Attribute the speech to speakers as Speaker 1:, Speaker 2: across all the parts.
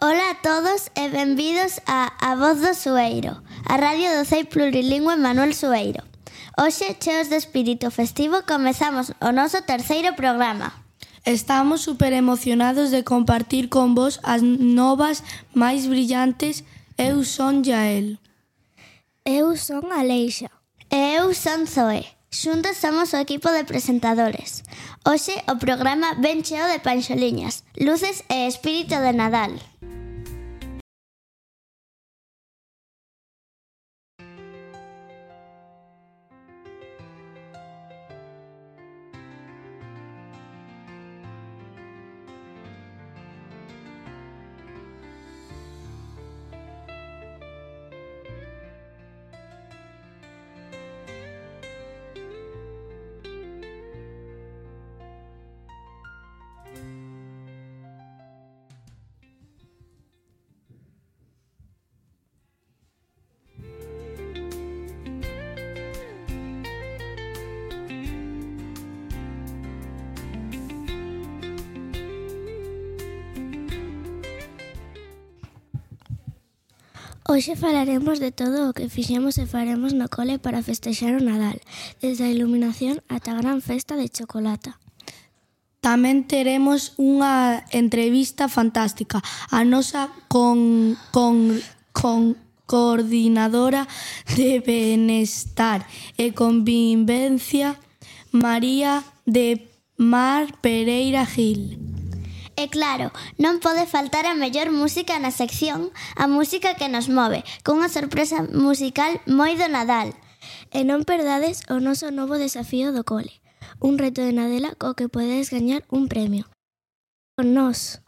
Speaker 1: Ola a todos e benvidos a Voz do Sueiro, a radio do CEI plurilingüe Manuel Sueiro. Hoxe, cheos de espírito festivo, comezamos o noso terceiro programa.
Speaker 2: Estamos super emocionados de compartir con vos as novas máis brillantes. Eu son Yael.
Speaker 3: Eu son Aleixa.
Speaker 1: E eu son Zoe. Xuntos somos o equipo de presentadores. Hoxe o programa ven cheo de panxoliñas, luces e espírito de Nadal.
Speaker 3: Hoxe falaremos de todo o que fixemos e faremos no cole para festexar o Nadal, desde a iluminación ata a gran festa de chocolata.
Speaker 2: Tamén teremos unha entrevista fantástica. A nosa coordinadora de Benestar e Convivencia, María de Mar Pereira Gil.
Speaker 1: E claro, non pode faltar a mellor música na sección, a música que nos move, cunha sorpresa musical moi do Nadal.
Speaker 3: E non perdades o noso novo desafío do cole, un reto de Nadela co que podedes gañar un premio. Con nós.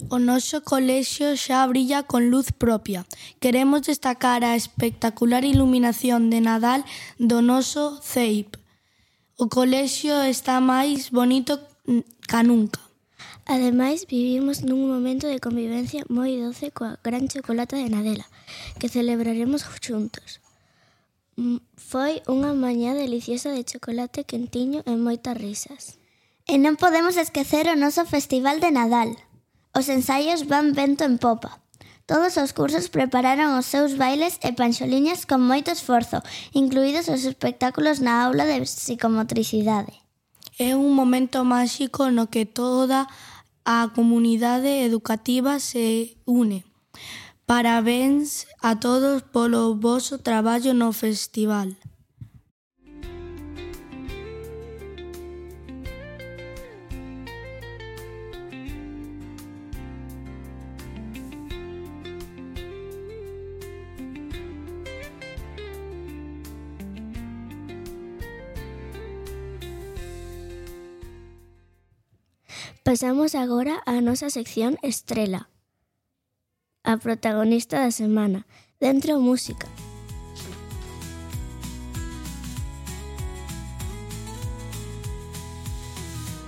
Speaker 2: O noso colexio xa brilla con luz propia. Queremos destacar a espectacular iluminación de Nadal do noso CEIP. O colexio está máis bonito ca nunca.
Speaker 3: Ademais, vivimos nun momento de convivencia moi doce coa gran chocolata de Nadela, que celebraremos xuntos. Foi unha mañá deliciosa de chocolate quentiño e moitas risas.
Speaker 1: E non podemos esquecer o noso Festival de Nadal. Os ensaios van vento en popa. Todos os cursos prepararon os seus bailes e panxoliñas con moito esforzo, incluídos os espectáculos na aula de psicomotricidade.
Speaker 2: É un momento máxico no que toda a comunidade educativa se une. Parabéns a todos polo voso traballo no festival.
Speaker 3: Pasamos agora á nosa sección estrela, a protagonista da semana, Dentro Música.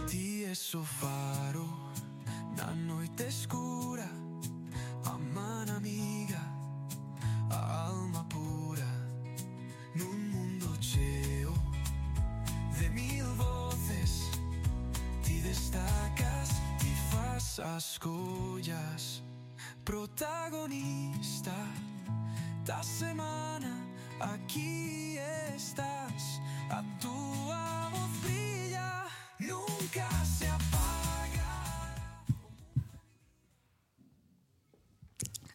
Speaker 4: Ti es o faro na noite escura, a man amiga, a alma pura, nun mundo cheo de mil voces. Ti destacas, ti fas as collas, protagonista da semana, aquí estás, a túa voz brilla, nunca se apaga.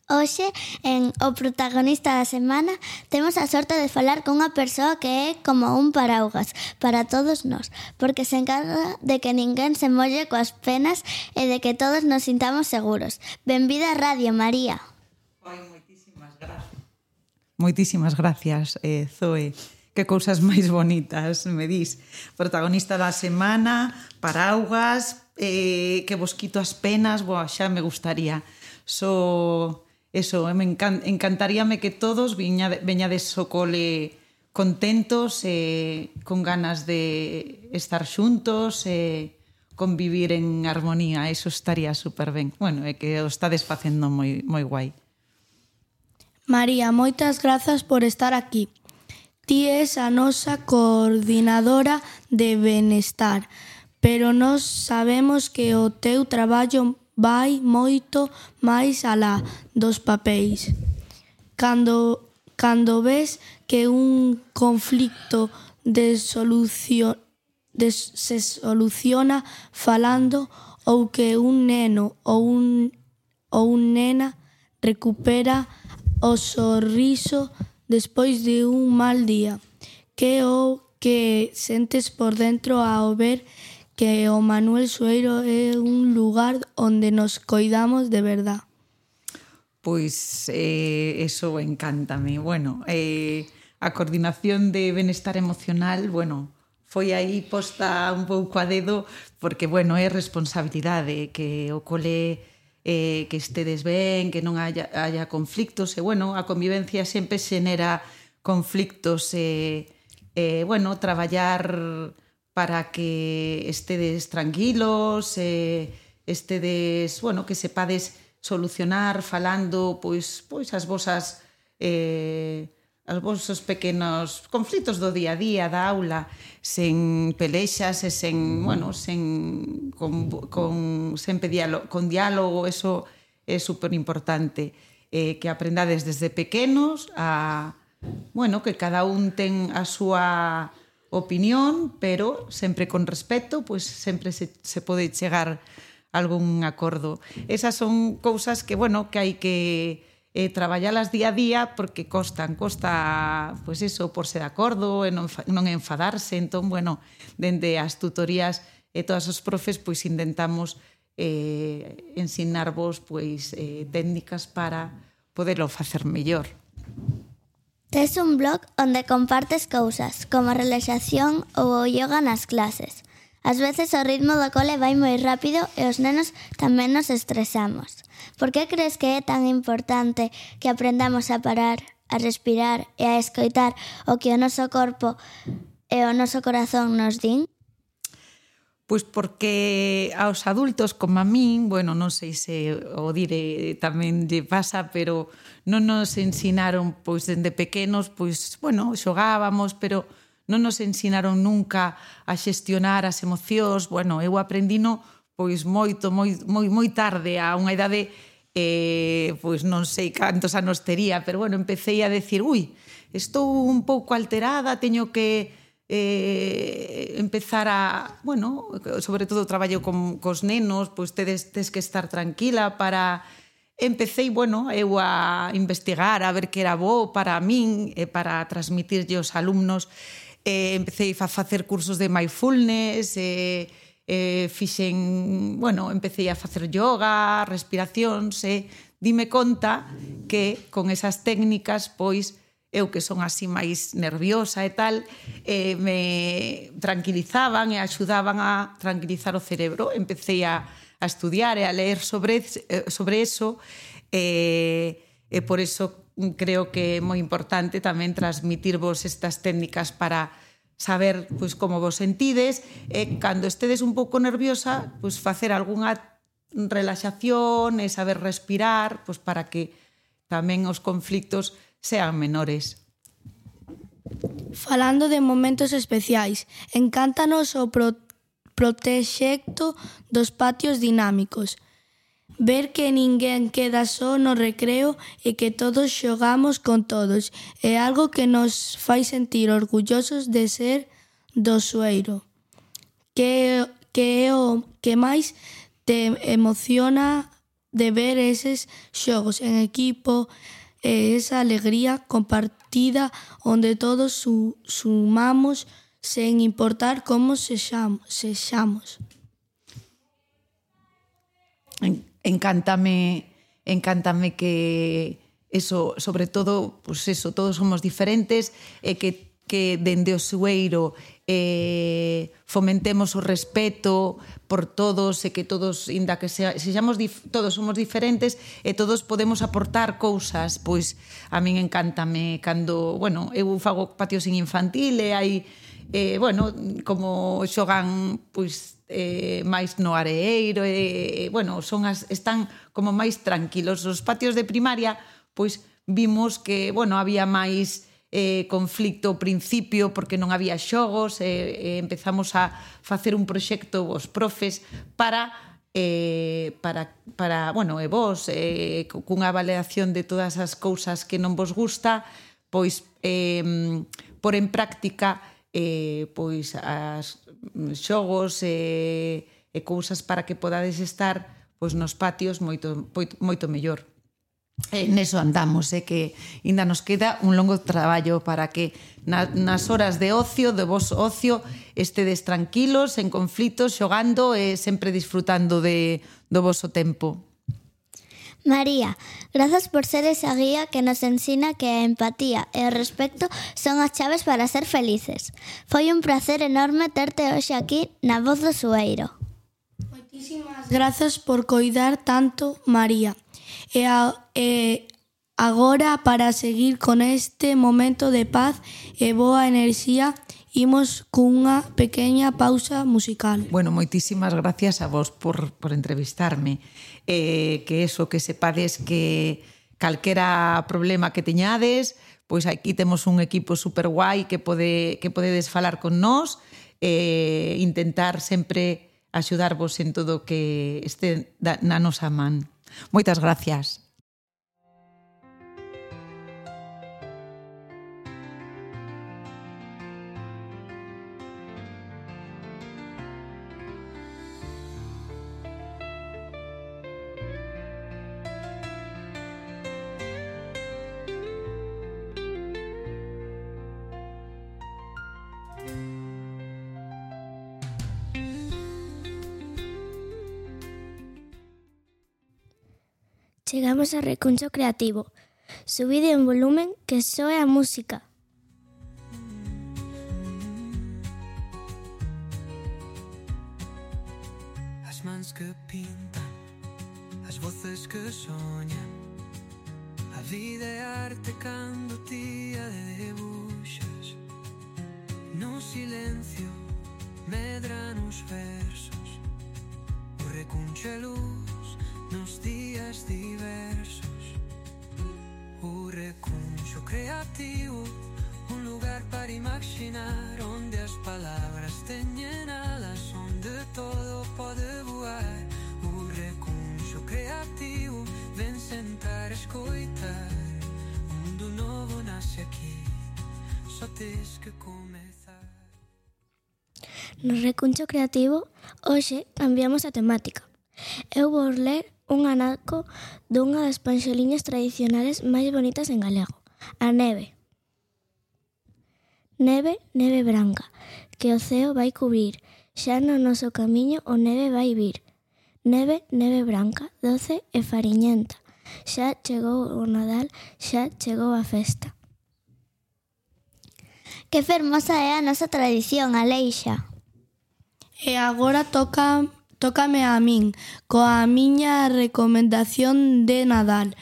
Speaker 1: Hoxe, en O Protagonista da Semana, temos a sorte de falar con unha persoa que é como un paraugas para todos nós, porque se encarga de que ninguén se molle coas penas e de que todos nos sintamos seguros. Benvida a Radio, María.
Speaker 5: Moitísimas gracias, Zoe. Que cousas máis bonitas me dis. Protagonista da semana, paraugas, que vos quito as penas, xa me gustaría. Encantaríame que todos veñades ao cole contentos, con ganas de estar xuntos, convivir en armonía, eso estaría super ben. Bueno, é que o estades facendo moi guai.
Speaker 2: María, moitas grazas por estar aquí. Ti és a nosa coordinadora de benestar, pero nós sabemos que o teu traballo vai moito máis alá dos papéis. Cando ves que un conflicto se soluciona falando ou que un neno ou nena recupera o sorriso despois de un mal día, que o que sentes por dentro ao ver que o Manuel Sueiro é un lugar onde nos coidamos de verdad.
Speaker 5: Pois eso encántame. Bueno, a coordinación de benestar emocional, bueno, foi aí posta un pouco a dedo porque, bueno, é responsabilidade que o cole que estedes ben, que non haya conflictos e, bueno, a convivencia sempre xenera conflictos bueno, traballar para que estedes tranquilos, estedes, bueno, que sepades solucionar falando pois as vosos pequenos conflitos do día a día, da aula, sen pelexas e con diálogo, eso é super importante, que aprendades desde pequenos bueno, que cada un ten a súa opinión, pero sempre con respeto, pois sempre se pode chegar algún acordo. Esas son cousas que, bueno, que hai que traballalas día a día porque costa, pois eso, porse de acordo e non enfadarse. Entón, bueno, dende as tutorías e todos os profes, pois intentamos ensinarvos pois técnicas para poderlo facer mellor.
Speaker 1: Tes un blog onde compartes cousas, como a relaxación ou o yoga nas clases. Ás veces o ritmo do cole vai moi rápido e os nenos tamén nos estresamos. Por que crees que é tan importante que aprendamos a parar, a respirar e a escoitar o que o noso corpo e o noso corazón nos din?
Speaker 5: Pois porque aos adultos como a min, bueno, non sei se o dire tamén lle pasa, pero non nos ensinaron, pois dende pequenos, pois, bueno, xogábamos, pero non nos ensinaron nunca a xestionar as emocións. Bueno, eu aprendino pois moi tarde, a unha idade, pois non sei cantos anos tería, pero bueno, empecé a decir, estou un pouco alterada, teño que empezar a, bueno, sobre todo traballo cos nenos, pois tes que estar tranquila para... Empecé, bueno, eu a investigar, a ver que era bo para min e para transmitirlle aos alumnos. Empecé a facer cursos de mindfulness, empecé a facer yoga, respiracións, dime conta que con esas técnicas, pois, eu que son así máis nerviosa e tal, me tranquilizaban e axudaban a tranquilizar o cerebro. Empecé a estudiar e a leer sobre eso, e por eso creo que é moi importante tamén transmitirvos estas técnicas para saber pois como vos sentides e cando estedes un pouco nerviosa, pois facer algunha relaxación e saber respirar, pois para que tamén os conflitos sean menores.
Speaker 2: Falando de momentos especiais, encántanos o proxecto dos patios dinámicos. Ver que ninguén queda só no recreo e que todos xogamos con todos é algo que nos fai sentir orgullosos de ser do Sueiro. Que é o que máis te emociona de ver eses xogos en equipo e esa alegría compartida onde todos sumamos sen importar como sexamos.
Speaker 5: Encántame que eso, sobre todo, pues eso, todos somos diferentes e que dende o Sueiro fomentemos o respeto por todos e que todos, inda que sexamos todos somos diferentes e todos podemos aportar cousas. Pois a min encántame cando, bueno, eu fago patios en infantil e hai bueno, como xogan pois máis no areeiro e bueno, están como máis tranquilos. Os patios de primaria, pois vimos que, bueno, había máis conflicto ao principio porque non había xogos e empezamos a facer un proxecto os profes para bueno, e vos cunha avaliación de todas as cousas que non vos gusta, pois por en práctica pois as xogos e cousas para que podades estar pois nos patios moito mellor. Neso andamos, que ainda nos queda un longo traballo para que nas horas de ocio, de vos ocio, estedes tranquilos, en conflitos, xogando e sempre disfrutando do voso tempo.
Speaker 1: María, grazas por ser esa guía que nos ensina que a empatía e o respecto son as chaves para ser felices. Foi un placer enorme terte hoxe aquí na Voz do Sueiro.
Speaker 2: Moitísimas grazas por coidar tanto, María. E agora, para seguir con este momento de paz e boa enerxía, imos cunha pequena pausa musical.
Speaker 5: Bueno, moitísimas gracias a vos por entrevistarme. Que eso, que sepades que calquera problema que teñades, pois aquí temos un equipo super guai que podedes falar con nós e intentar sempre axudarvos en todo o que este na nosa man. Moitas gracias.
Speaker 3: Chegamos a Recuncho Creativo. Subide en volumen que soe a música.
Speaker 4: As mans que pintan, as voces que soñan. A vida é arte cando ti a debuxas. No silencio medran os versos. O recuncho é luz nos días diversos. O recuncho creativo, un lugar para imaginar, onde as palabras teñen alas, onde todo pode voar. O recuncho creativo, ven sentar a escoitar. Un mundo novo nace aquí, só tes que comezar.
Speaker 3: No Recuncho Creativo, hoxe cambiamos a temática. Eu vou ler un anaco dunha das panxoliñas tradicionales máis bonitas en galego, a neve. Neve, neve branca, que o ceo vai cubrir, xa no noso camiño o neve vai vir. Neve, neve branca, doce e fariñenta, xa chegou o Nadal, xa chegou a festa.
Speaker 1: Que fermosa é a nosa tradición, Aleixa.
Speaker 2: E agora tócame a min, coa miña recomendación de Nadal.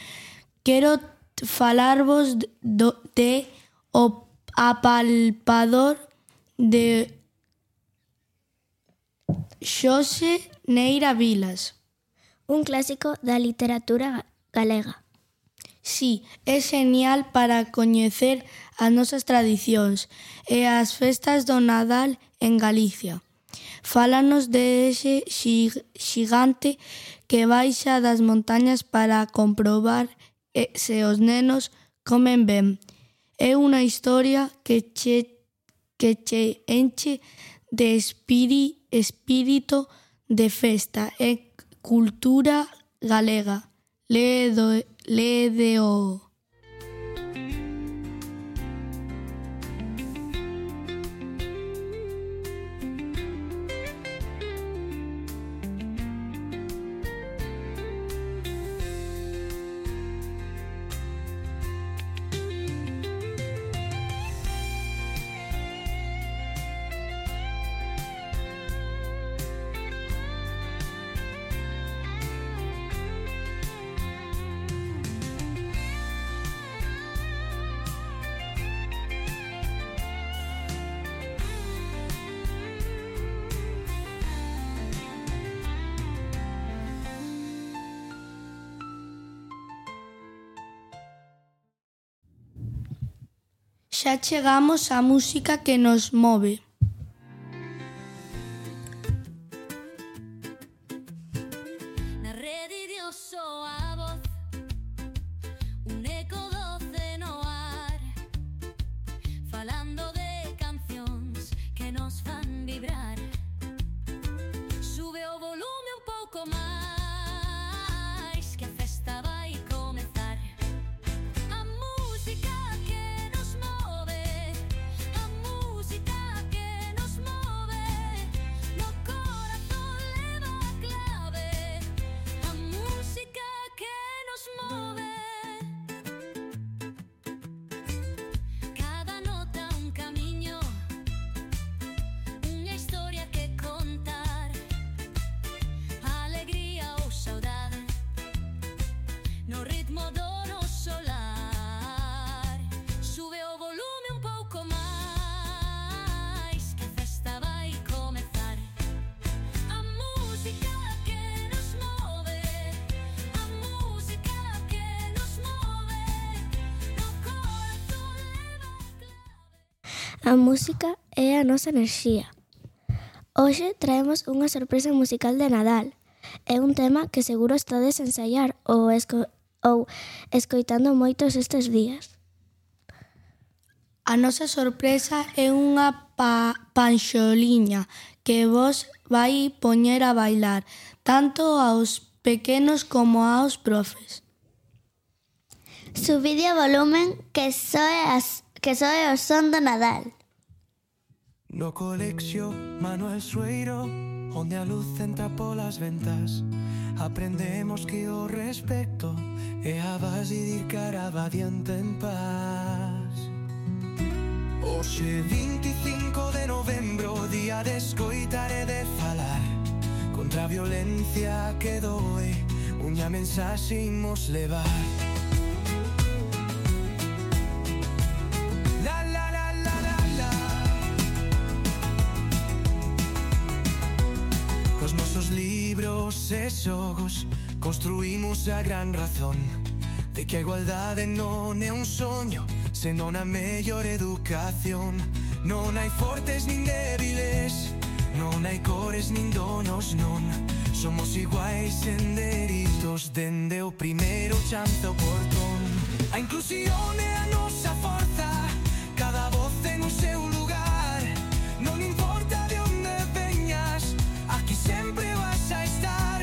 Speaker 2: Quero falarvos de O apalpador de Xosé Neira Vilas.
Speaker 3: Un clásico da literatura galega.
Speaker 2: Sí, é genial para coñecer as nosas tradicións e as festas do Nadal en Galicia. Fálanos de ese xigante que baixa das montañas para comprobar se os nenos comen ben. É unha historia que che enche de espírito de festa e cultura galega. Lédeo. Xa chegamos á música que nos move.
Speaker 6: Na rede Dios soa a voz, un eco doce no ar, falando de cancións que nos fan vibrar. Sube o volume un pouco máis, que a festa vai comezar. A música que nos move, a música que nos move, no corazón leva a clave. A música que nos move. Cada nota un camiño, unha historia que contar, alegría ou saudade, no ritmo do noso lar. Sube o volume un pouco máis, que a festa vai comezar. A música que nos move, a música que nos move, no corazón leva a clave.
Speaker 3: A música é a nosa enerxía. Hoxe traemos unha sorpresa musical de Nadal. É un tema que seguro estades a ensaiar ou escoitando moitos estes días.
Speaker 2: A nosa sorpresa é unha panxoliña que vos vai poñer a bailar, tanto aos pequenos como aos profes.
Speaker 1: Subide o volumen que soe o son do Nadal.
Speaker 4: No colexio Manuel Sueiro, onde a luz entra polas ventas, aprendemos que o respecto é a base de ir cara avadiante en paz. Hoxe 25 de novembro, día de escoitar e de falar contra a violencia que doe, unha mensaxe imos levar. Cos nosos libros e xogos construímos a gran razón de que a igualdade non é un soño, senón a mellor educación. Non hai fortes nin débiles, non hai cores nin donos, non. Somos iguais en dereitos dende o primeiro chance ao portón. A inclusión é a nosa forza, cada voz ten o seu lugar. Non importa de onde veñas, aquí sempre vas a estar.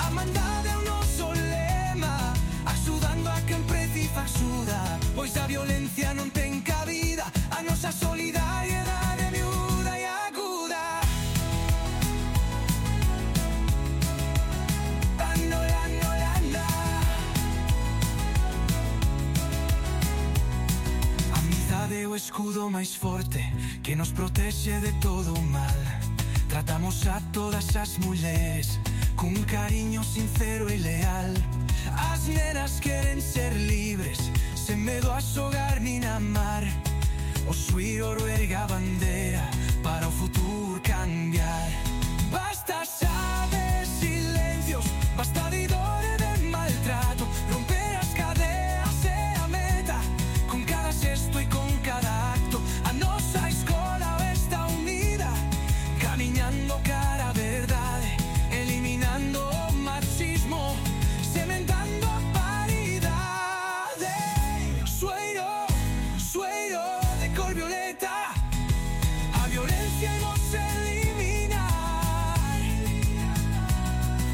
Speaker 4: A mandade é o noso lema, axudando a quen precisa axuda, pois a violencia non ten cabida. A nosa solidariedade é miúda e aguda. A amizade é o escudo máis forte que nos protexe de todo o mal. Tratamos a todas as mulleres cun cariño sincero e leal. As nenas queren ser libres, sen medo a xogar nin a amar. O Suiro ergue a bandera para o futuro cambiar. Basta xa de silencios, basta de dor e de maltrato. Romper as cadeas é a meta, con cada xesto e con cada acto. A nosa escola está unida, camiñando cara a verdade, eliminando o machismo, sementando a paridade. Sueiro, sueiro de cor violeta, a violencia imos eliminar.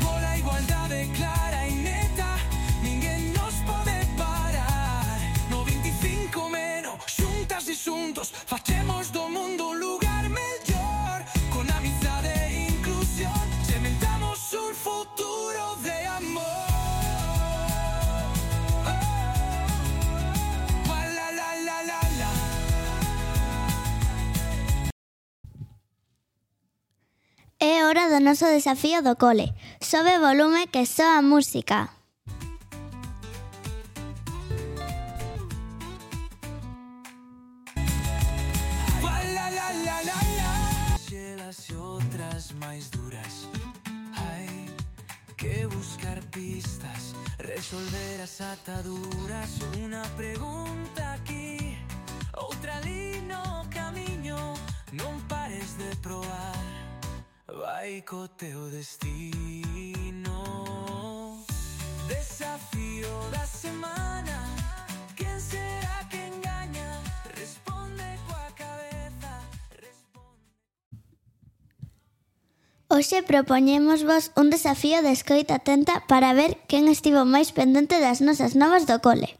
Speaker 4: Pola igualdade clara e neta, ninguén nos pode parar. No 25 menos, xuntas e xuntos, facemos do mundo un lugar mellor. Con amizade e inclusión, sementamos un futuro de amor. La, la, la, la, la.
Speaker 1: É hora do noso desafío do cole. Sobe o volume que soa a música.
Speaker 4: La, la, la, la, la. Xelas e outras máis duras. Hai que buscar pistas, resolver as ataduras. Unha pregunta aquí, outra ali no camiño. Non pares de probar, vai co teu destino. Desafío da semana, quen será quen gaña? Responde coa cabeza, responde.
Speaker 1: Hoxe propoñémosvos un desafío de escoita atenta para ver quen estivo máis pendente das nosas novas do cole.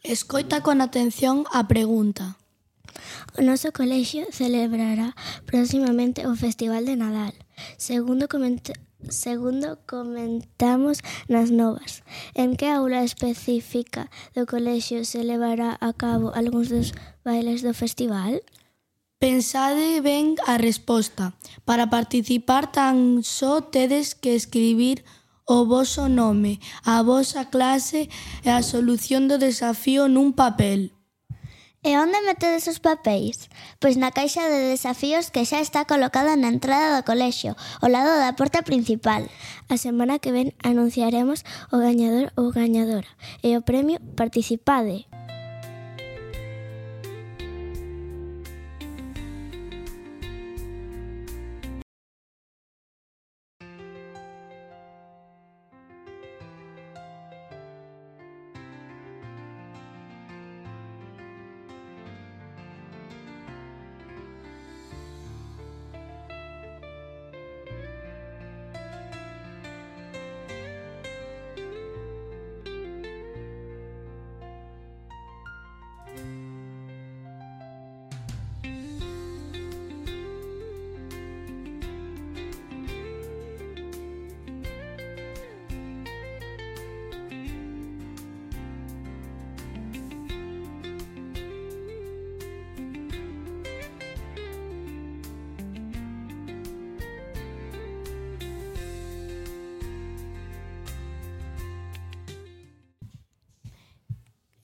Speaker 2: Escoita con atención a pregunta.
Speaker 3: O noso colexio celebrará próximamente o Festival de Nadal. Segundo comentamos nas novas. En que aula específica do colexio se levará a cabo algúns dos bailes do festival?
Speaker 2: Pensade ben a resposta. Para participar tan só tedes que escribir o voso nome, a vosa clase e a solución do desafío nun papel.
Speaker 1: E onde metedes os papéis? Pois na caixa de desafíos que xa está colocada na entrada do colexio, ao lado da porta principal.
Speaker 3: A semana que ven anunciaremos o gañador ou gañadora e o premio Participade.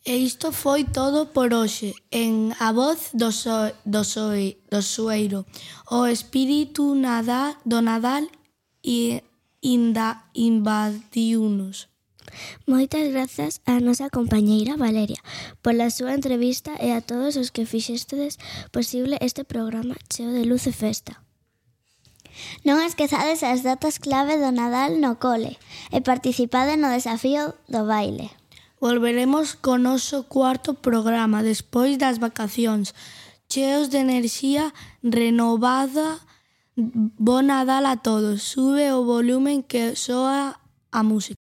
Speaker 2: E isto foi todo por hoxe. En A Voz do Sueiro, o espírito do Nadal invadiunos.
Speaker 3: Moitas grazas á nosa compañeira Valeria pola súa entrevista e a todos os que fixestedes posible este programa cheo de luz e festa.
Speaker 1: Non esquezades as datas clave do Nadal no cole e participade no desafío do baile.
Speaker 2: Volveremos co noso cuarto programa despois das vacacións, cheos de enerxía renovada. Bo Nadal a todos. Sube o volumen que soa a música.